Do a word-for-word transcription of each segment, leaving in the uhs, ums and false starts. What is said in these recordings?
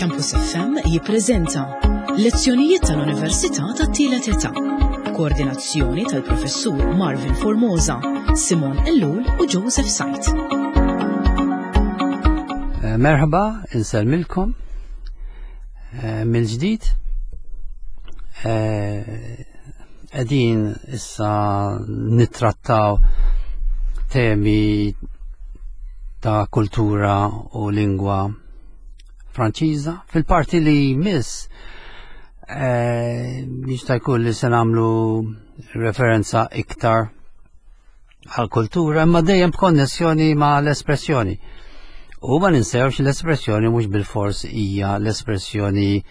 Campus F M jippreżenta Lezzjonijiet tal-Università tat-Tielet Età. Koordinazzjoni tal-Professur Marvin Formosa, Simon Ellul u Joseph Sajt. Eh, merħba, insellmilkom eh, mill-ġdid. Eh, qegħdin issa nittrattaw temi ta' kultura u lingwa Franċiża. Fil-parti li jmiss jista' jkun li se nagħmlu referenza iktar għal-kultura, imma dejjem b'konnessjoni ma' l-espressjoni. U ma ninsewx, l-espressjoni mhux bil-fors hija l-espressjoni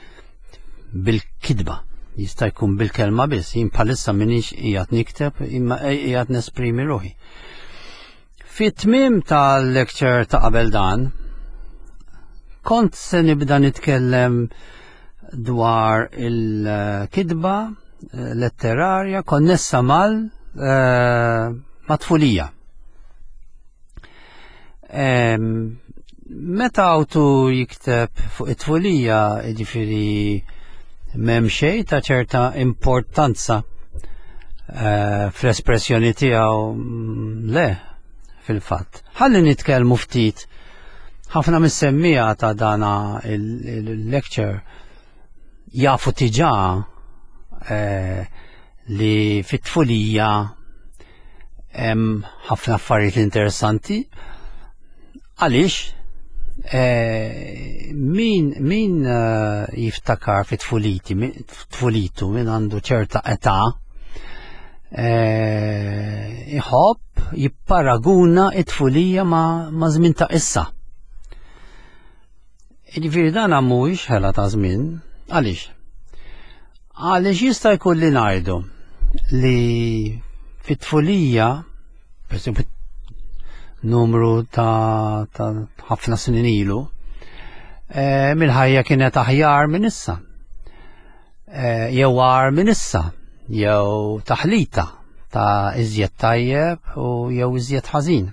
bil-kitba. Jista' jkun bil-kelma biss, jien bħalissa m'iniex qiegħed nikteb, imma qiegħed nesprimi ruħi. Fit-tmiem tal-lecture ta' qabel dan, kont se nibda nitkellem dwar il-kitba letterarja konnessa mal eh, mat-tfulija. Meta awtur jikteb fuq it-tfulija, ġifieri m'hemm xejn ta' ċerta importanza eh, fl-espressjoni tiegħu, mm, le, fil-fatt. Ħalli nitkellmu ftit. Ħafna mis-semmiegħa ta' dana il-lecture jafu diġà eh, li fit-tfulija hemm ħafna affarijiet interessanti. Għaliex? Eh, min min eh, jiftakar fit tfuliti, tfulitu, min għandu ċerta età, eh, iħobb jipparaguna it-tfulija ma, ma' żmien ta' issa. Ġifieri dan mhuwiex ħela ta' żmien, għaliex? Għaliex jista' jkun li ngħidu li fit-tfulija, per esempio, numru ta' ħafna snin ilu, e, mill-ħajja kienet aħjar minn issa. E, jew agħar minn issa, jew taħlita ta' iżjed tajjeb u jew iżjed ħażin.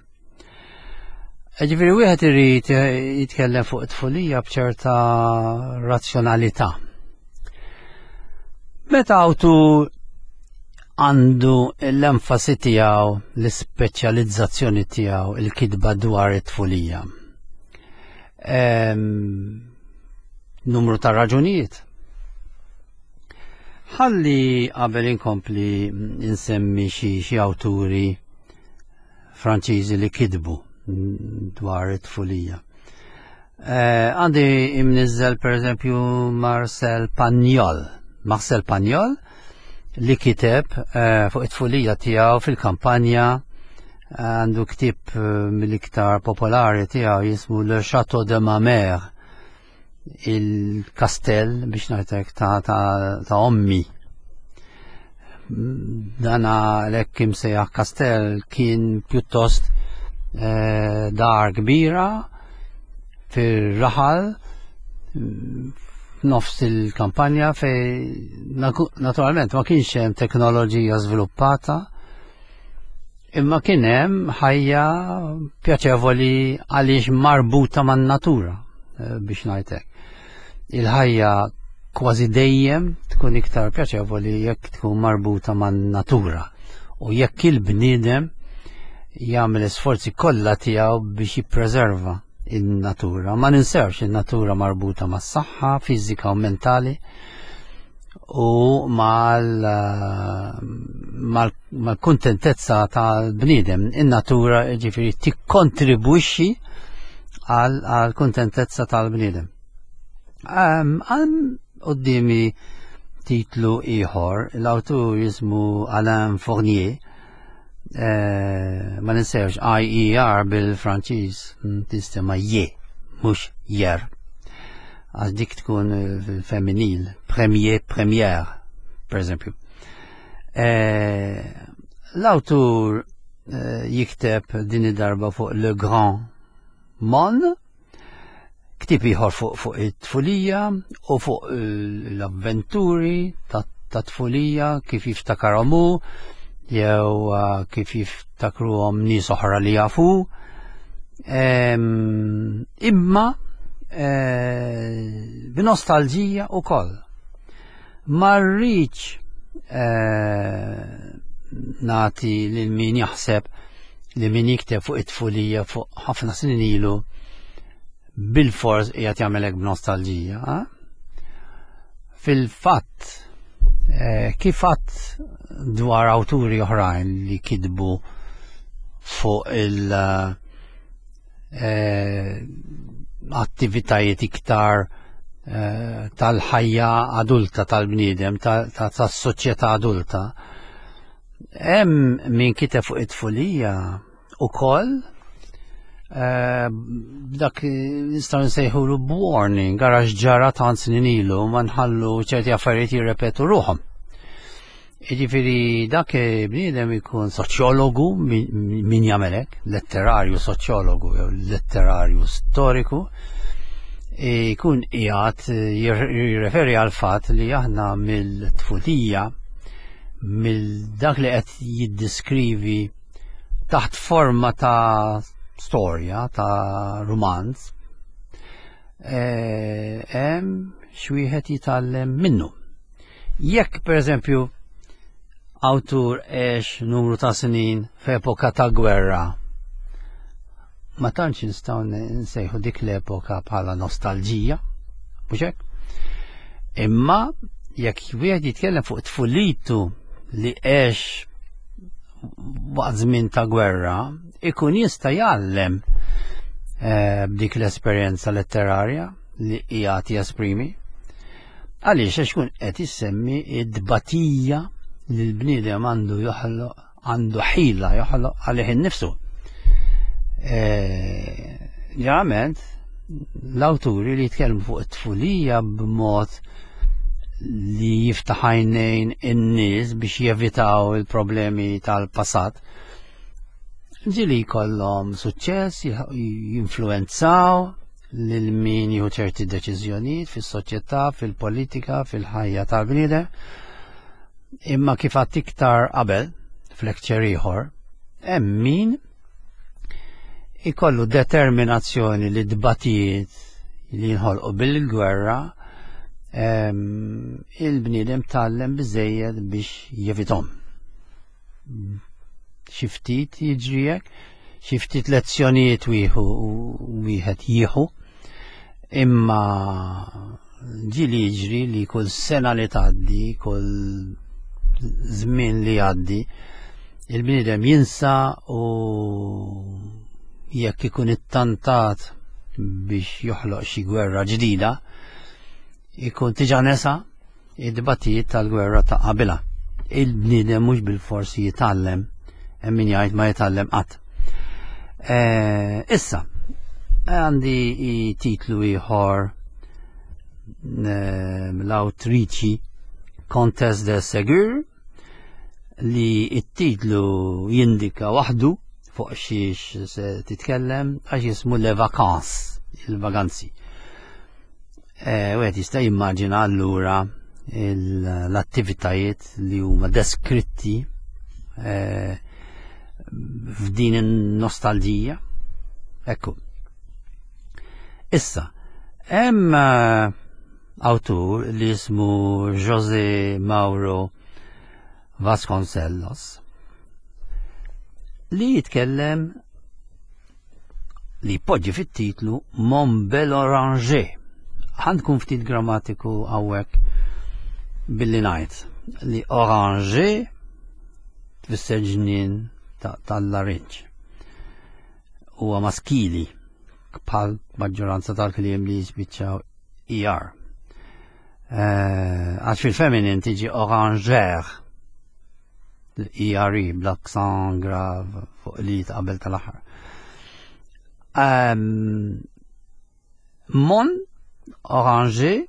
Ġifieri wieħed irid jitkellem fuq it-tfulija b'ċerta razzjonalità. Meta awtur għandu l-enfasi tiegħu, l-ispeċjalizzazzjoni tiegħu, il-kitba dwar it-tfulija, numru ta' raġunijiet. Ħalli qabel inkompli insemmi xi xi awturi Franċiżi li kitbu dwar it-tfulija. Eh, għandi imnizzel, per eżempju, Marcel Pagnol. Marcel Pagnol li kiteb eh, fuq it-tfulija tiegħu fil-kampanja. Għandu ktib eh, mill-iktar popolari tiegħu jismu Le Château de ma mère, il-kastell, biex ngħidlek, ta', ta, ta ommi. Dana l-hekk imsejjaħ kastell kien pjuttost eh, dar kbira fir-raħal nofs il-kampanja, fej naturalment ma kienx hemm teknoloġija żviluppata, imma kien hemm ħajja pjaċevoli għaliex marbuta man-natura, eh, biex ngħidlek. Il-ħajja kważi dejjem tkun iktar pjaċevoli jekk tkun marbuta man-natura u jekk il-bniedem jagħmel isforzi kollha tiegħu biex jippreserva in-natura. Ma ninsewx, in-natura marbuta mas-saħħa fiżika u mentali u mal-kuntentezza tal-bniedem. In-natura, ġifieri, tikkontribwixxi għal kuntentezza tal-bniedem. Għal quddiemi titlu ieħor, l-awtur jismu Alain Fournier, eh, ma ninsewx, I E R bil-Franċiż mm, tinstema je, mhux jer. Għax dik tkun femminil, premier, première, per eżempju. Eh, l-awtur eh, jikteb din id-darba fuq Le Grand Meaulnes, ktib ieħor fuq fuq it-tfulija u fuq l-avventuri ta' tfulija kif jiftakarhom hu jew uh, kif jiftakruhom nies oħra li jafu. Imma eh, b'nostalġija wkoll. Ma rridx eh, nagħti lil min jaħseb li min jikteb fuq it-tfulija fuq ħafna snin ilu bil-fors qiegħed jagħmel hekk b'nostalġija. Eh? Fil-fatt, eh, kif għadt dwar awturi oħrajn li kitbu fuq il- eh, attivitajiet iktar eh, tal-ħajja adulta tal-bniedem, tas-soċjetà adulta. Hemm min kiteb fuq it-tfulija ukoll eh, dak nistgħu nsejħulu warning, ara x'ġara tant snin ilu, ma nħallu ċerti affarijiet jirrepetu ruħhom. Jiġifieri dak bniedem ikun soċjologu min jagħmel hekk, letterarju soċjologu jew letterarju storiku, ikun qiegħed jirreferi għal fatt li aħna mill-tfulija, mill dak li qed jiddiskrivi taħt forma ta' storja, ta' romanz, eh, hemm x'wieħed jitgħallem minnu. Jekk pereżempju awtur għex numru ta' snin f'epoka ta' gwerra, ma tantx nistgħu nsejħu dik l-epoka bħala nostalġija, mhux hekk? Imma jekk wieħed jitkellem fuq tfulitu li għex waqt żmien ta' gwerra, ikun jista' jgħallem eh, b'dik l-esperjenza letterarja li qiegħed jesprimi. Għaliex? Għax kun qed issemmi id-batija li l-bniedem għandu joħloq, għandu ħila joħloq għalih innifsu. Eh, ġeneralment l-awturi li jitkellmu fuq it-tfulija b'mod li jiftaħ għajnejn in-nies biex jevitaw il-problemi tal-passat, ġieli jkollhom suċċess, jinfluenzaw lil min jieħu ċerti deċiżjonijiet fis-soċjetà, fil-politika, fil-ħajja tal-bniedem. Imma kif għadt iktar qabel, f'lecture ieħor, hemm min ikollu determinazzjoni li dbatijiet li jinħolqu bil-gwerra il-bniedem tgħallem biżejjed biex jevitahom. Xi ftit jiġri hekk, xi ftit lezzjonijiet wieħu wieħed jieħu, imma ġieli jiġri li kull sena li tgħaddi, kull żmien li jgħaddi, il-bniedem jinsa u jekk ikun ittantat biex joħloq xi gwerra ġdida, ikun diġà nesa id-dbatijiet tal-gwerra ta' qabilha. Il-bniedem mhux bil-forsi jitgħallem, hemm min jgħid ma jitgħallem qatt. Eh, issa, għandi titlu ieħor eh, l-awtriċi Comtesse de Ségur li it-titlu jindika waħdu fuq xiex se titkellem, għax jismu Le Vacances, il-vaganzi. E, Wieħed jista' jimmaġina allura l-attivitajiet li huma deskritti e, f'din in-nostalġija. Ekku. Issa, hemm eh, awtur li jismu José Mauro Vasconcelos li jitkellem li poġġi fit-titlu Mon bel oranger. Ħa nkun ftit grammatiku hawnhekk billi ngħid li oranger tfisser ġnien tal-larinġ. Huwa maskili bħal maġġoranza tal-kliem li jispiċċaw E R. Eh, għax fil-feminin tiġi orangère, E R E bl-accent grave fuq li qabel tal-aħħar. Mon oranger,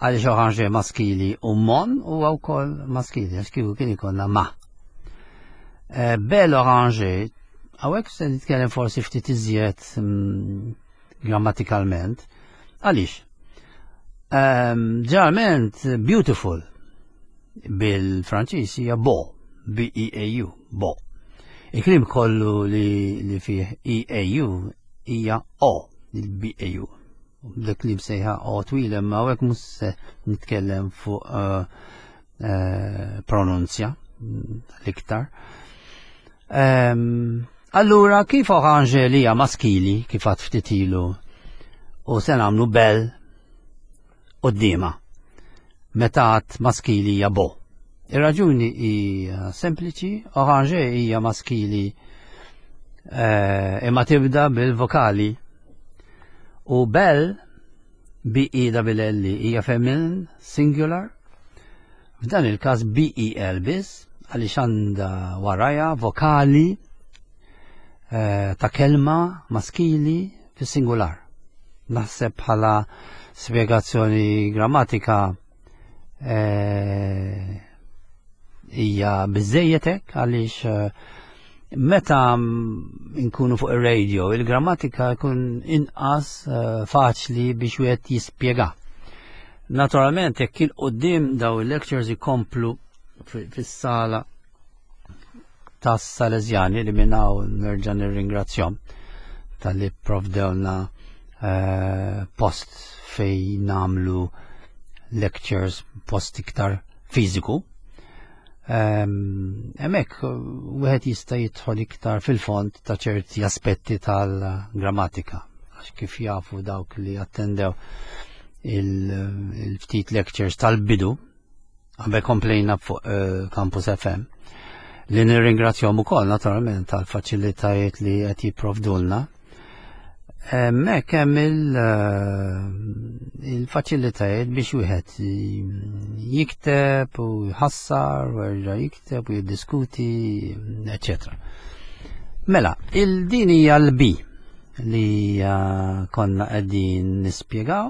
għaliex oranger maskili u mon u wkoll maskili, għax kieku kien ikollna ma. Eh, bel oranger, hawnhekk se nitkellem forsi ftit iżjed mm, grammatikalment, għaliex? Ġeneralment beautiful bil-Franċiż hija beau, B E A U, beau. Il-kliem kollu li, li fih E A U hija O, il-B A U. dik li msejħa o twila, imma hawnhekk mhux se nitkellem fuq uh, uh, pronunzja l-iktar. Um, allura kif orange li hija maskili kif għad ftit ilu u se nagħmlu bel quddiemha meta għad maskili hija bo. Ir-raġuni hija sempliċi, orange hija maskili eh, imma tibda bil-vokali u bel B E double L hija feminin singular. F'dan il-każ B E L biss għaliex għandha warajha vokali eh, ta' kelma maskili fis-singular. Naħseb bħala spjegazzjoni grammatika eh, hija biżejjed hekk għaliex eh, meta nkunu fuq ir-radio il-grammatika jkun inqas eh, faċli biex wieħed jispjega. Naturalment jekk il quddiem daw il-lectures ikomplu fis-sala tas-Salesjani li minn hawn nerġa' nirringrazzjahom talli pprovdewlna eh, post fejn nagħmlu lectures, post iktar fiżiku. Hemmhekk wieħed jista' jidħol iktar fil-fond ta' ċerti aspetti tal-grammatika, għax kif jafu dawk li attendew il-ftit lectures tal-bidu, qabel komplejna fuq eh, Campus F M, li nirringrazzjahom ukoll naturalment tal-faċilitajiet li qed jipprovdulna. Hemmhekk hemm eh, il-faċilitajiet biex wieħed jikteb u jħassar u jerġa' jikteb u jiddiskuti, eċċetera. Mela, il-din hija l-B li, eh, konna qegħdin nispjegaw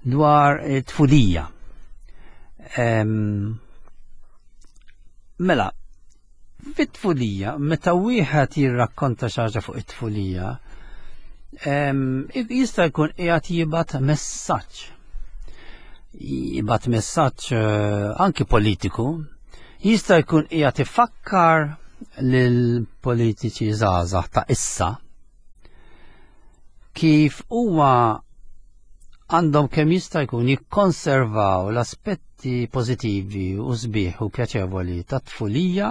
dwar it-tfulija. Em, mela, fit-tfulija, meta wieħed jirrakkonta xi ħaġa fuq it-tfulija, em, jista' jkun qiegħed jibgħat messaġġ. Jibgħat messaġġ, eh, anki politiku, jista' jkun qiegħed ifakkar lil politiċi żgħażagħ ta' issa kif huwa għandhom kemm jista' jkun jikkonservaw l-aspetti pożittivi u sbieħ u pjaċevoli tat-tfulija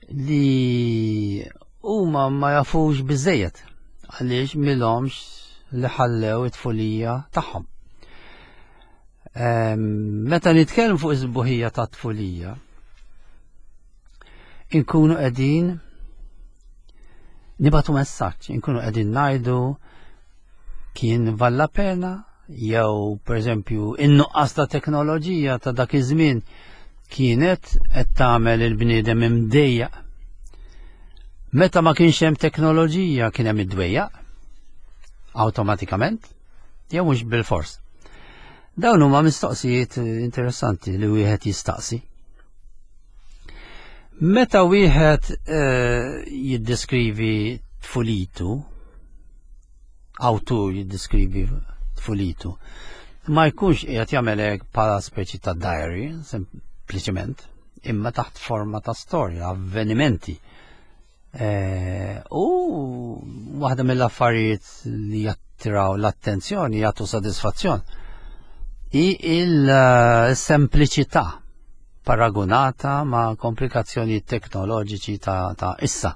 li huma ma jafux biżejjed għaliex milhomx li ħallew it-tfulija tagħhom. Ehm, meta nitkellmu fuq iż-sbuħija tat-tfulija, inkunu qegħdin nibatu messaġġ, inkunu qegħdin ngħidu kien valla pena, jew pereżempju in-nuqqas ta' teknoloġija ta' dak iż-żmien kienet qed tagħmel il-bniedem imdejjaq. Meta ma kienx hemm teknoloġija kien hemm id-dwejjaq awtomatikament, jew mhux bil-fors. Dawn huma mistoqsijiet interessanti li wieħed jistaqsi. Meta wieħed, eh, jiddeskrivi tfulitu, awtur jiddeskrivi tfulitu, ma jkunx qiegħed jagħmel hekk bħala speċi ta' diary, sempliċement, imma taħt forma ta' storja, avvenimenti. Eh, u waħda mill-affarijiet li jattiraw l-attenzjoni, jagħtu sodisfazzjon, hi il-sempliċità paragonata ma' komplikazzjoni teknoloġiċi ta', ta' issa.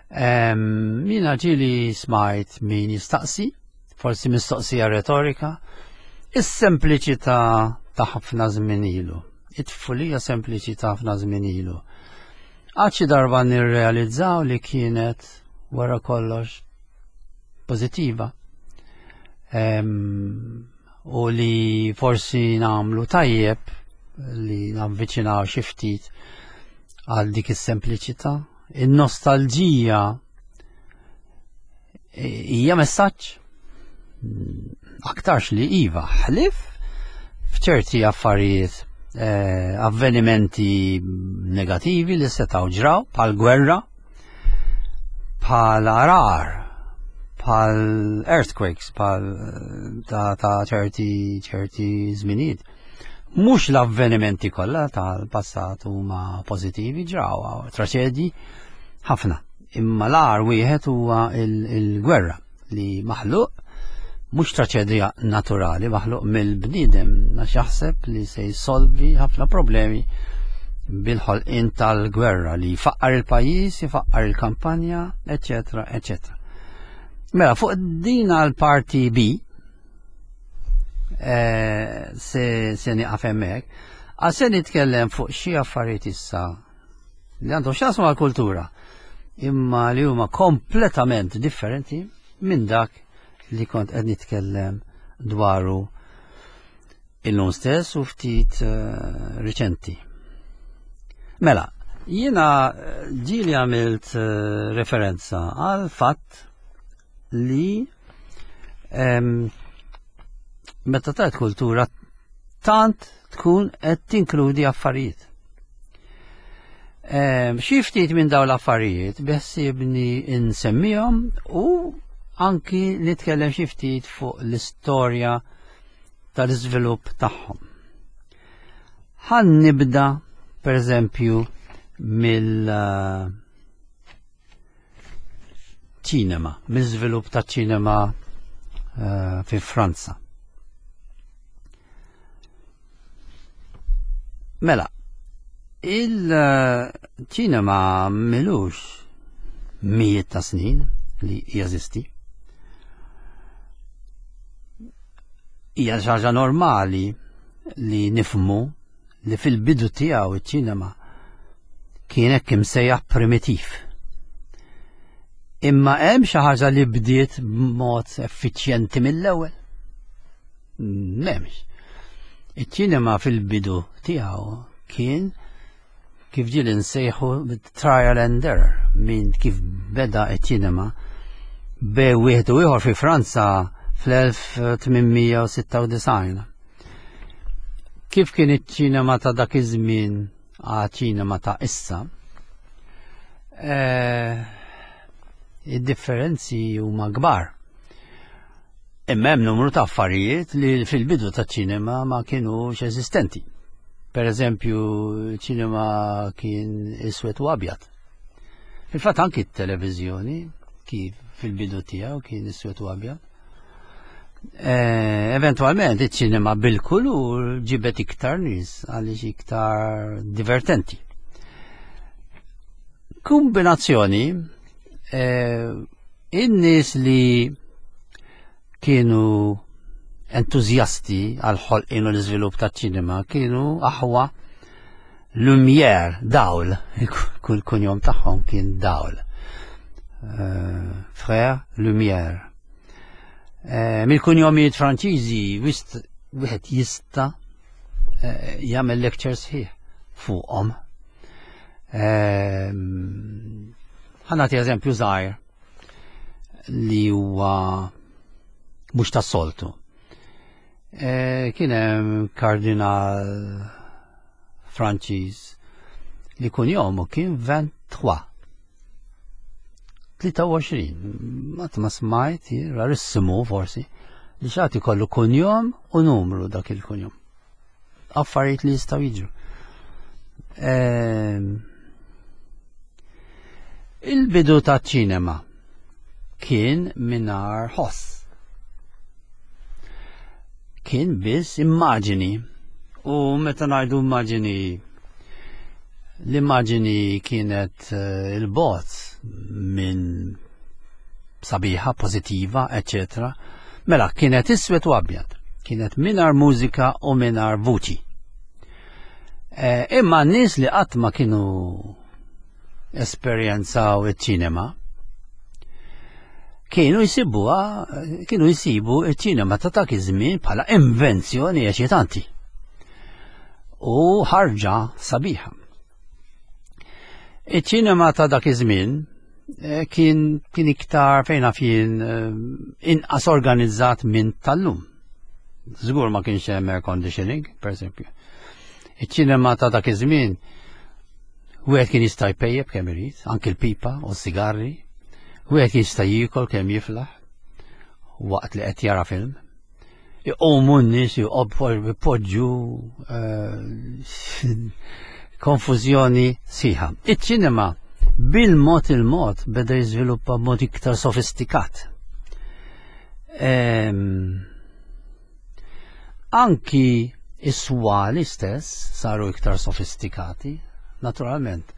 Em, Jiena ġieli smajt min jistaqsi, forsi mistoqsija retorika, is-sempliċità ta' ħafna żmien ilu, it-tfulija sempliċi ta' ħafna żmien ilu. Għad xi darba nirrealizzaw li kienet wara kollox pożittiva. Em, u li forsi nagħmlu tajjeb li navviċinaw xi ftit għal dik is-sempliċità. In-nostalġija hija messaġġ aktarx li iva, ħlif f'ċerti affarijiet, eh, avvenimenti negativi li setgħu ġraw, bħal gwerra, bħal arar, bħal earthquakes, bħal ta', ta' ċerti, ċerti żminijiet. Mhux l-avvenimenti kollha tal-passat huma pożittivi, ġraw traċedji ħafna. Imma l-agħar wieħed huwa il-gwerra li maħluq Mhux traċedja naturali maħluq mill-bniedem għax jaħseb li se jsolvi ħafna problemi bil-ħolqien tal-gwerra li jfaqqar il-pajjiż, jfaqqar il-kampanja, eċetera, eċetera. Mela, fuq din għal-parti B, eh, se, se nieqaf hemmhekk, għal se nitkellem fuq xi affarijiet issa li għandhom x'jaqsmu għal-kultura, imma li huma kompletament differenti minn dak li kont qed nitkellem dwaru illum stess u ftit uh, riċenti. Mela, jiena eh, ġieli għamilt uh, referenza għal fatt li um, meta tajt kultura tant tkun qed tinkludi affarijiet. Um, xi ftit minn dawn l-affarijiet beħsiebni insemmihom u anki nitkellem xi ftit fuq l-istorja tal-iżvilupp tagħhom. Ħan nibda per eżempju mill uh, ċinema, mill-żvilupp ta' ċinema uh, fi Franza. Mela, il-ċinema milux mijiet ta' snin li jeżisti. Hija xi ħaġa normali li nifhmu li fil-bidu tiegħu iċ-ċinema kien hekk imsejjaħ primitiv. Imma hemm xi ħaġa li bdiet b'mod effiċjenti mill-ewwel. M'hemmx. Iċ-ċinema fil-bidu tiegħu kien kif ġieli nsejħu trial and error, minn kif beda iċ-ċinema bej wieħed u ieħor fi Franza fl-elf tmien mija u sitta u disgħin. Kif kien iċ-ċinema ta' dak iż-żmien għal ċinema ta' issa, eh, id-differenzi huma kbar. Imma hemm numru ta' affarijiet li fil-bidu ta' ċinema ma kienux eżistenti. Per eżempju, ċinema kien iswed u abjad. Fil-fatt anki t-televiżjoni kif fil-bidu tiegħu kien iswed u abjad. Eh, eventualment iċ-ċinema bil-kulur ġibet iktar nies għaliex iktar divertenti. Kombinazzjoni, eh, in-nies li kienu entużjasti għal ħolqien u l-iżvilupp taċ-ċinema kienu aħwa Lumière, dawl, kull kunjom tagħhom kien dawl. Eh, Frère Lumière. Eh, mill-kunjomijiet Franċiżi wist wieħed jista' eh, jagħmel lecture sħiħ fuqhom. Ħa nagħti eżempju żgħir li huwa mhux tas-soltu. Eh, kien hemm kardinal Franċiż li kunjomu kien vingt-trois. tlieta u għoxrin, ma ma smajt, rarissimu forsi, li xagħti kollu kunjom u numru dak il-kunjom. Affarijiet li jistgħu jiġru. Ehm, il-bidu ta' ċinema kien mingħajr ħoss. Kien biss immaġini. U meta ngħidu immaġini, l-immaġini kienet, eh, il-bot minn sabiħa, pożittiva, eċċetera. Mela, kienet iswed u abjad. Kienet mingħajr mużika u mingħajr vuċi. Eh, imma n-nies li qatt ma kienu esperjenzaw iċ-ċinema, kienu jsibuha, kienu jsibu iċ-ċinema ta' dak iż-żmien bħala invenzjoni eċitanti. U ħarġa sabiħa. Iċ-ċinema ta' dak iż-żmien, eh, kien, kien iktar fejn naf jien, eh, inqas organizzat minn tal-lum. Żgur ma kienx hemm air conditioning, per eżempju. Iċ-ċinema ta' dak iż-żmien wieħed kien jista' jpejjeb kemm irid, anki l-pipa u s-sigarri, wieħed kien jista' jiekol kemm jiflaħ waqt li qed jara film. Iqumu n-nies jpoġġu, eh, konfużjoni sħiħa. Iċ-ċinema bil-mod il-mod beda jiżviluppa b'mod iktar sofistikat. Ehm, anki is-swali stess saru iktar sofistikati, naturalment.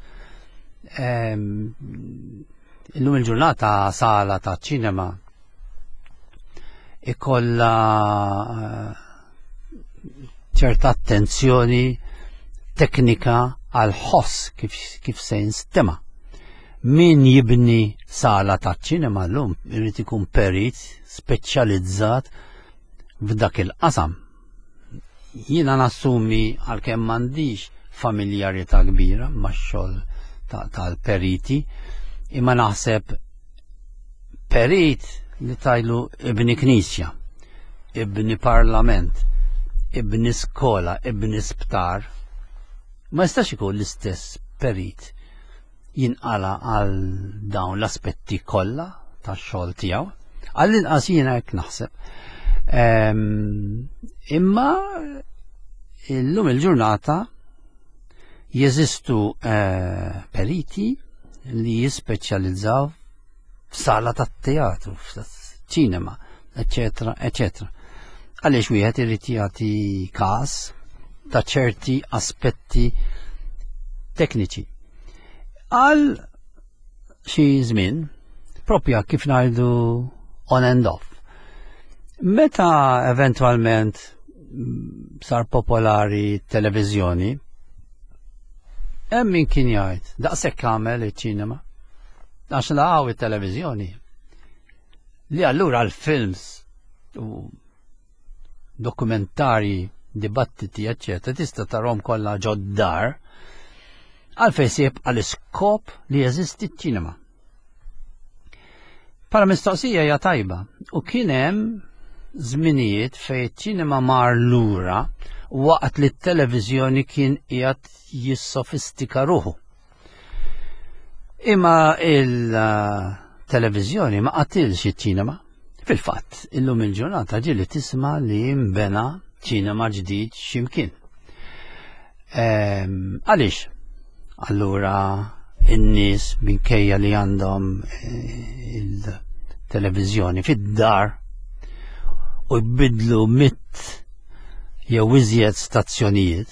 Ehm, illum il-ġurnata sala ta' ċinema ikolla eh, ċerta attenzjoni teknika għal ħoss kif, kif se jinstema. Min jibni sala ta' ċinema llum irid ikun perit speċjalizzat f'dak il-qasam. Jiena nassumi, għalkemm m'għandix familjarità kbira max-xogħol tal-periti, imma naħseb perit li tgħidlu ibni knisja, ibni parlament, ibni skola, ibni sptar, ma jistax ikun l-istess perit jinqala għal dawn l-aspetti kollha tax-xogħol tiegħu. Għall-inqas jiena hekk naħseb. Imma illum il-ġurnata jeżistu eh, periti li jispeċjalizzaw f'sala tat-teatru, f'ċinema, eccetera, eccetera. Għaliex wieħed irid jagħti każ ta' ċerti aspetti tekniċi. Għal xi żmien, propja kif ngħidu on and off. Meta eventualment sar popolari televiżjoni, hemm min kien jgħid, daqshekk għamel iċ-ċinema. Għax laqgħu it-televiżjoni. Li allura l-films u dokumentari, dibattiti, eccetera, tista' tarahom kollha ġod-dar, għalfejn se jibqa' l-iskop li jeżisti ċ-ċinema. Para mistoqsija hija tajba u kien hemm żminijiet fejn iċ-ċinema mar lura waqt li t-televiżjoni kien qiegħed jissofistika ruħu. Imma il-televiżjoni ma qatilx iċ-ċinema. Fil-fatt, illum il-ġurnata ġieli tisma' li mbena ċinema ġdid x'imkien. Ehm, għaliex? Allura in-nies minkejja li għandhom eh, il-televiżjoni fid-dar u jbidlu mitt jew iżjed stazzjonijiet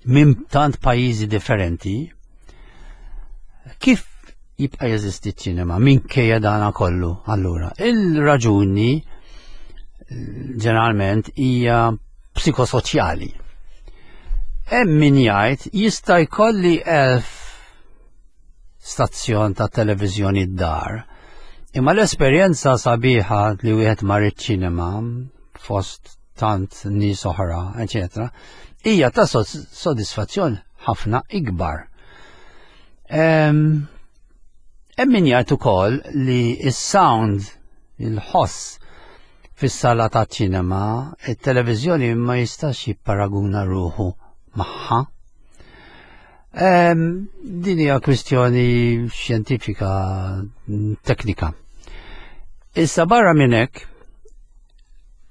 minn tant pajjiżi differenti, kif jibqa' jeżisti ċ-ċinema minkejja dana kollu? Allura, il-raġuni ġeneralment hija psikosoċjali. Hemm min jgħid jista' jkolli elf stazzjon ta' televiżjoni d-dar. Imma l-esperjenza sabiħa li wieħed mar iċ-ċinema fost tant nies oħra, eċetera, hija ta' sodisfazzjon ħafna ikbar. Hemm min jgħid ukoll li s-sound, il-ħoss fis-sala ta' ċinema, it-televiżjoni ma jistax jipparaguna ruħu magħha. Din hija kwistjoni xjentifika, teknika. Issa barra minn hekk,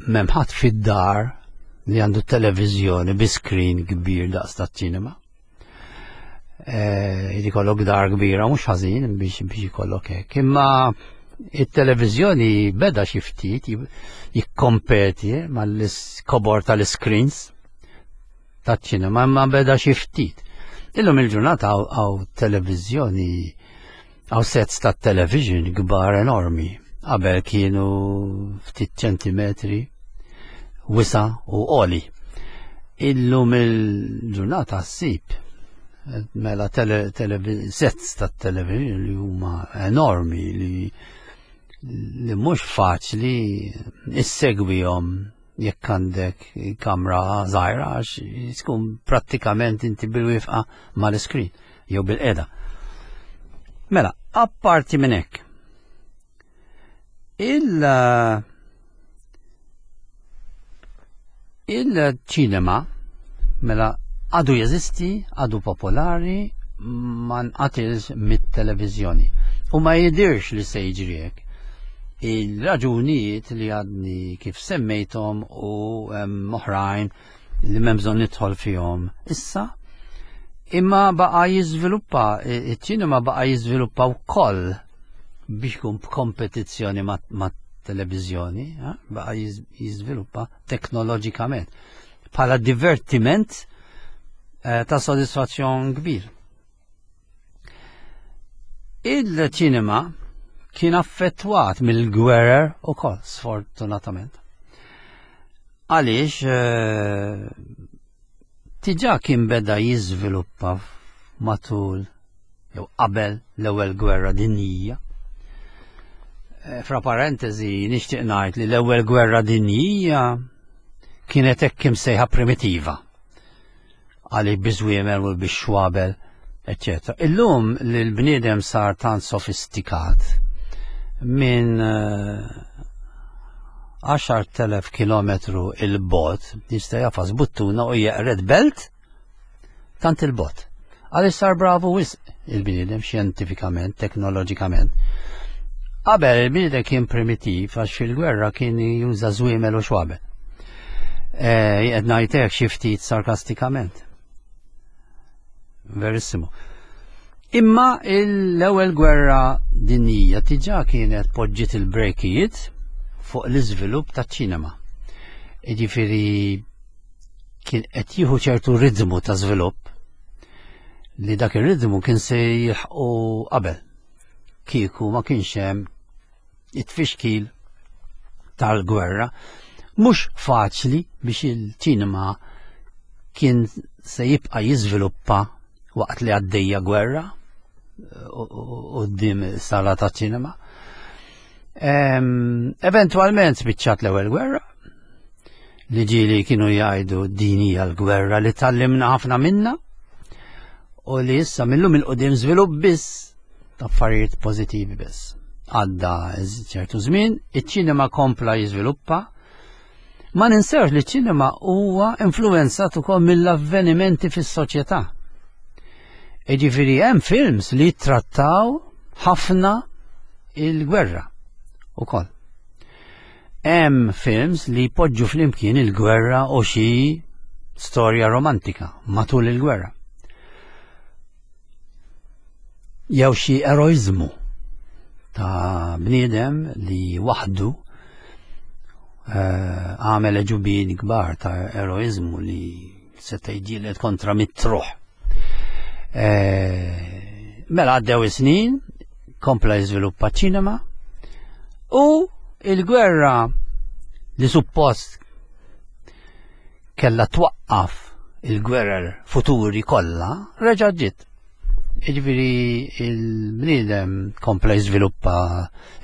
m'hemm ħadd fid-dar li għandu televiżjoni bi screen kbir daqs ta' ċinema. Jrid ikollok dar kbira mhux ħażin biex biex ikollok hekk. Imma it-televiżjoni beda xi ftit jikkompeti mal-kobor tal-screens taċ-ċinema, imma beda xi ftit. Illum il-ġurnata hawn televiżjoni, hawn sets ta' television kbar enormi. Qabel kienu ftit ċentimetri wisa u għoli. Illum il-ġurnata ssib mela tele, tele, sets ta' television li huma enormi li li mhux faċli issegwihom jekk għandek kamra żgħira, għax tkun prattikament inti bil-wieqfa mal-iskrin jew bil-qeda. Mela, apparti minn hekk, il il-ċinema mela għadu jeżisti, għadu popolari, ma nqatilx mit-televiżjoni. U ma jidirx li se jiġri hekk. Il-raġunijiet li għadni kif semmejthom u oħrajn li m'hemm bżonn nidħol fihom issa, imma baqa' jiżviluppa, iċ-ċinema baqa' jiżviluppa wkoll biex jkun b'kompetizzjoni ma' televiżjoni, eh, baqa' jiżviluppa teknoloġikament bħala divertiment eh, ta' sodisfazzjon kbir. Il-ċinema kien affettwat mill-gwerer ukoll, sfortunatament. Għaliex eh, diġà kien beda jiżviluppa matul jew qabel l-ewwel gwerra dinjija. Eh, fra parentesi nixtieq ngħid li l-ewwel gwerra dinjija kienet hekk imsejħa primitiva. Għaliex biż-żwiemel u bix-xwabel, eċċetera. Illum li l-bniedem sar tant sofistikat minn għaxart elef kilometru il-bot jista' jafas buttuna u jeqred belt tant il-bot. Għaliex sar bravu wisq il-bniedem xjentifikament, teknoloġikament. Qabel il-bniedem kien primitiv għax fil-gwerra kien juża żwiemel u xwabel. Qed ngħidlek xi ftit sarkastikament. Verissimo. Imma l-ewwel gwerra dinjija diġà kienet poġġiet il-brejkijiet fuq l-iżvilupp taċ-ċinema. Jiġifieri kien qed jieħu ċertu ritmu ta' żvilupp li dak ir-ritmu kien se jilħqu qabel. Kieku ma kienx hemm it-tfixkil tal-gwerra. Mhux faċli biex il-ċinema kien se jibqa' jiżviluppa waqt li għaddejja gwerra quddiem sala ta' ċinema. Eventualment spiċċat l-ewwel gwerra li ġieli kienu jgħidu din hija l-gwerra li tallimna ħafna minna u li issa millum il-qudiem żvilupp biss ta' affarijiet pożittivi biss. Għadda ċertu żmien, iċ-ċinema kompla jiżviluppa. Ma ninsewx li ċ-ċinema huwa influenzat ukoll mill-avvenimenti fis-soċjetà. Jiġifieri hemm films li jittrattaw ħafna il-gwerra ukoll. Hemm films li jpoġġu flimkien il-gwerra u xi storja romantika matul il-gwerra. Jew xi eroiżmu ta' bniedem li waħdu għamel eġubin kbar ta' eroiżmu li seta' jġieled kontra mit-truħ. Mela għaddew is-snin, kompla jiżviluppa ċinema u il-gwerra li suppost kella twaqqaf il-gwerer futuri kollha reġa' ġiet. Jiġifieri il-bniedem kompla jiżviluppa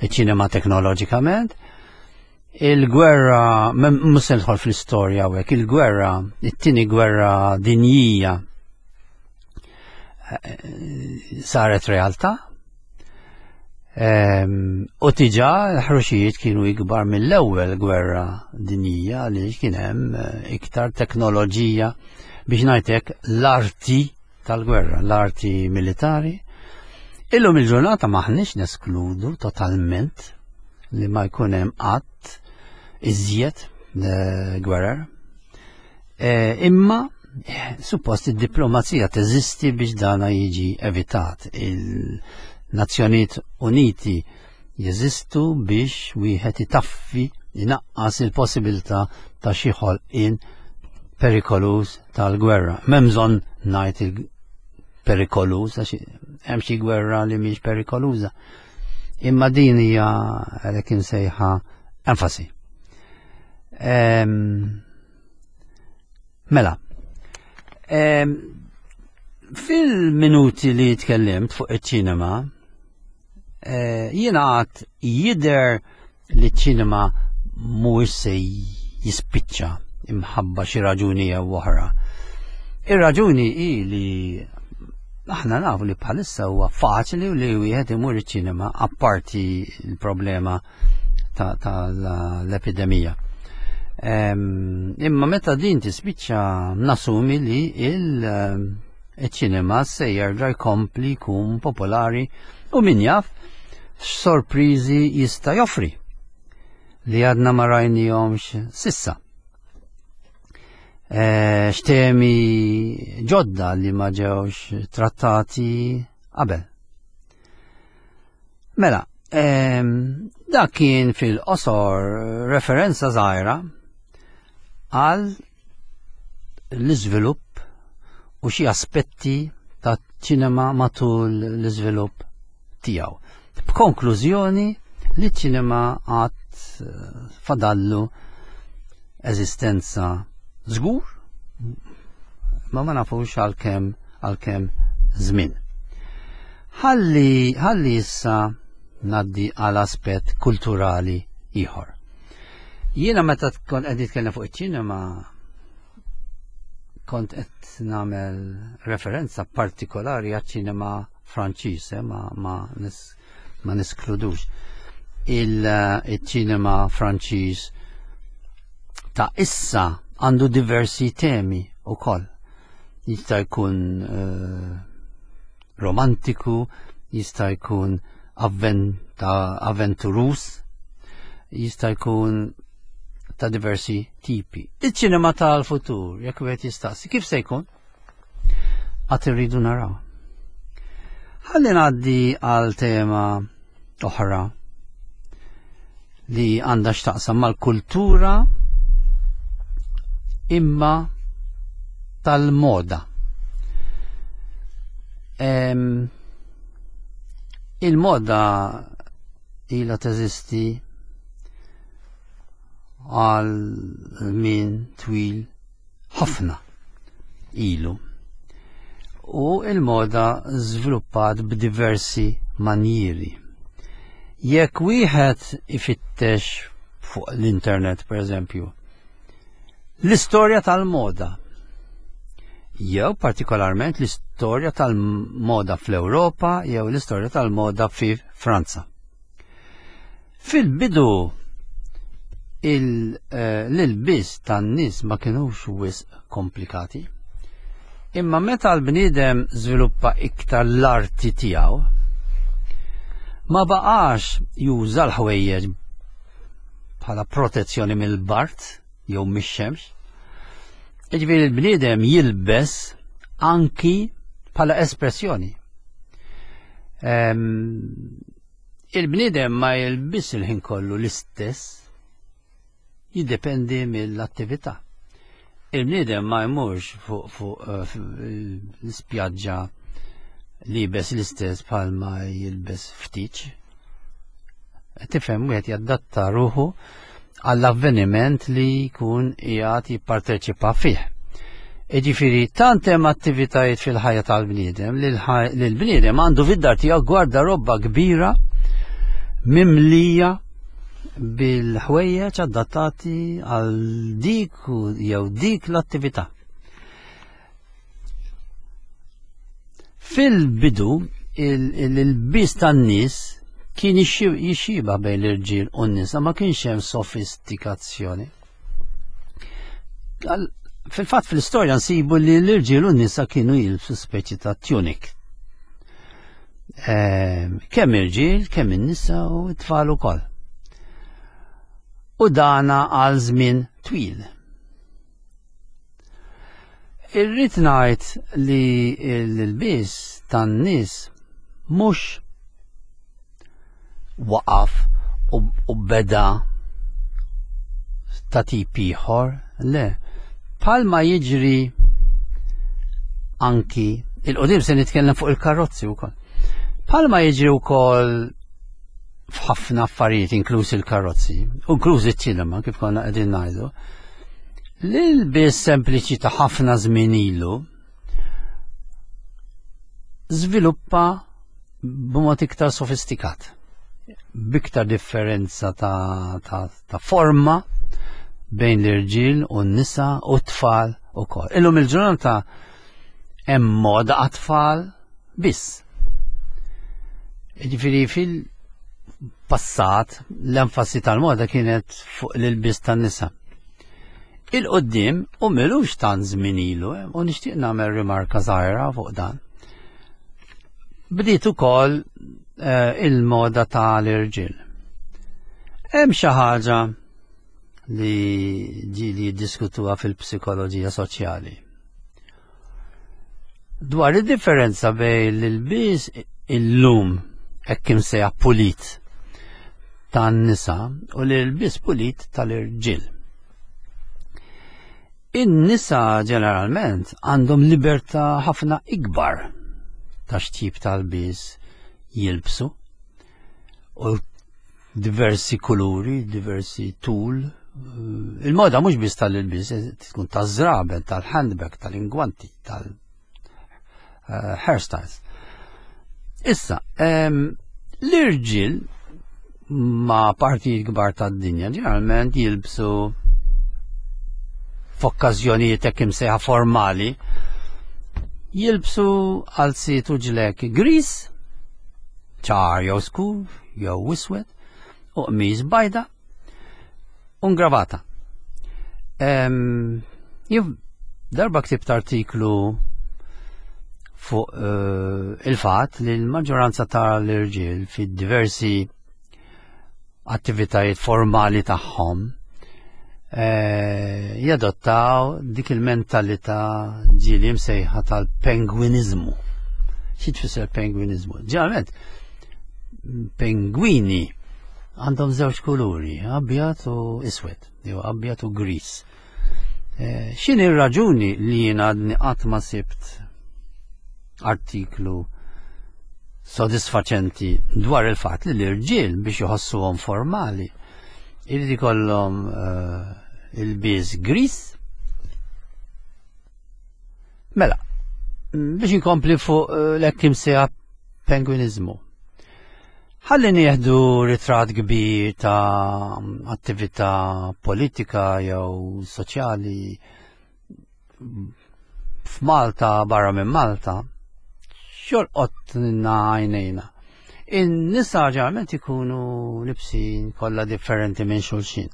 ċ-ċinema teknoloġikament. Il-gwerra, mhux se nidħol fl-istorja hawnhekk, il-gwerra, it-tieni gwerra dinjija saret realtà. U diġà l-ħruxijiet kienu ikbar mill-ewwel gwerra dinjija għaliex kien hemm iktar teknoloġija biex ngħidlek l-arti tal-gwerra, l-arti militari. Illum il-ġurnata maħniex neskludu totalment li ma jkun hemm qatt iżjed gwerer. Imma suppost id-diplomazija teżisti biex dana jiġi evitat. Il-Nazzjonijiet Uniti jeżistu biex wieħed itaffi inaqqas il-possibilità ta' xi ħolqien perikoluż tal-gwerra. M'hemm bżonn ngħid il-perikoluż għax hemm xi gwerra li mhix perikoluża. Imma din hija għalhekk insejħa enfasi. Mela, fil-minuti li tkellimt fuq iċ-ċinema, jiena għad jidher li ċ-ċinema mhuwiex se jispiċċa imħabba xi raġuni jew oħra. Ir-raġuni hi li aħna nafu li bħalissa huwa faċli li wieħed imur iċ-ċinema apparti l-problema tal-epidemija. Imma meta din tispiċċa nasumi li il-ċinema se jerġa' jkompli jkun popolari u min jaf x'sorpriżi jista' joffri li għadna ma rajnihomx sissa. X'temi ġodda li ma ġewx trattati qabel. Mela, Dak kien fil-qosor referenza żgħira għal l-iżvilupp u xi aspetti ta' ċinema matul l-iżvilupp tiegħu. B'konklużjoni li ċ-ċinema għad fadallu eżistenza żgur, ma ma nafux għalkemm għalkemm żmien. Ħalli ħalli issa ngħaddi għal aspett kulturali ieħor. Jiena meta kont qed nitkellem fuq iċ-ċinema kont qed nagħmel referenza partikolari għaċ-ċinema Franċiż, eh, ma, ma, nis, ma niskludux il-ċinema Franċiż ta' issa għandu diversi temi u koll. Jista' jkun uh, romantiku, jista' jkun avventurus, jista' jkun ta' diversi tipi. Iċ-ċinema tal-futur, jekk wieħed jistaqsi, kif se jkun? Għad irridu naraw. Ħalli ngħaddi għal tema oħra li għandha x'taqsam mal-kultura imma tal-moda. Il-moda ilha teżisti għal min twil ħafna ilu. U il-moda żviluppat b'diversi manjieri. Jekk wieħed ifittex fuq l-internet, per eżempju, l-istorja tal-moda, jew partikolarment l-istorja tal-moda fl-Ewropa jew l-istorja tal-moda fi Franza. Fil-bidu l-ilbis tan-nies ma kinux wisq komplikati. Imma meta l-bniedem żviluppa iktar l-arti tiegħu, ma baqax juża l-ħwejjeġ bħala protezzjoni mill-bart jew mix-xemx. Jiġifieri l-bniedem jilbes anki bħala espressjoni. Il-bniedem ma jilbis il-ħin kollu l-istess, jiddependi mill-attività. Il-bniedem ma jmurx fuq fuq l-ispjaġġa libes l-istess bħalma jilbes ftit. Tifhem, wieħed jaddatta ruħu għall-avveniment li jkun qiegħed jipparteċipa fih. Jiġifieri tant hemm attivitajiet fil-ħajja tal-bniedem li l-bniedem għandu fid-dar tiegħu gwardarobba kbira mimlija bil-ħwejjeġ adattati għal dik jew dik l-attività. Fil-bidu il-bis tan-nies kien jixxiba bejn l-irġiel u n-nisa, ma kienx hemm sofistikazzjoni. Fil-fatt fl-istorja nsibu li l-irġiel u n-nisa kienu jilbsu speċi ta' tunik. Kemm irġiel, kemm in-nisa u t-tfal ukoll. U dana għal żmien twil. Irrid ngħid li l-ilbies tan-nies mhux waqaf u beda ta' tip ieħor, le. Palma jiġri anki il-qudiem, se nitkellem fuq il-karozzi wkoll. Palma jiġri wkoll f'ħafna affarijiet, inkluż il-karozzi, inkluż iċ-ċinema kif konna qegħdin ngħidu. L-ilbies sempliċi ta' ħafna żmien ilu żviluppa b'mod iktar sofistikat, b'iktar differenza ta', ta, ta' forma bejn l-irġiel u n-nisa u t-tfal ukoll. Illum il-ġurnata hemm moda għat-tfal biss. Jiġifieri fil-passat l-enfasi tal-moda kienet fuq l-ilbies tan-nisa. Il-qoddim u milux tant żmien ilu, u nixtieq nagħmel rimarka żgħira fuq dan. Bdiet ukoll il-moda tal-irġiel. Hemm xi ħaġa li ġieli jiddiskutuha fil-psikoloġija soċjali. Dwar id-differenza bejn l-ilbies illum hekk imsejjaħ pulit tan-nisa u l-ilbies pulit tal-irġiel. In-nisa ġeneralment għandhom libertà ħafna ikbar ta' x'tip tal-bies jilbsu u diversi kuluri, diversi tul. Il-moda mhux biss tal-ilbies, tkun taż-żraben, tal-handbag, tal-ingwanti, tal-hairstyles. Issa, l-irġiel ma' partijiet kbar tad-dinja ġeneralment jilbsu f'okkażjonijiet hekk imsejħa formali, jilbsu qalziet u ġlek gris, ċar jew skur, jew iswed, u qmis bajda, u ngravata. Jien darba ktibt artiklu fuq eh, il-fatt li l-maġġoranza tal-irġiel fid-diversi attivitajiet formali tagħhom eh, jadottaw dik il-mentalità ġieli msejħa tal-pengwinizmu. Xi tfisser pengwinizmu? Ġeneralment, pengwini għandhom żewġ kuluri, abjad u iswed, jew abjad u gris. Eh, x'inhi r-raġuni li jien għadni qatt ma sibt artiklu sodisfaċenti dwar il-fatt li l-irġiel biex jħossuhom formali irid ikollhom uh, ilbies gris? Mela, biex inkompli fuq uh, l-hekk imsejjaħ pengwinizmu. Ħalli nieħdu ritratt kbir ta' attività politika jew soċjali f'Malta, barra minn Malta, x'jolqotna għajnejna? In-nisa ġeneralment ikunu libsin kollha differenti minn xulxin.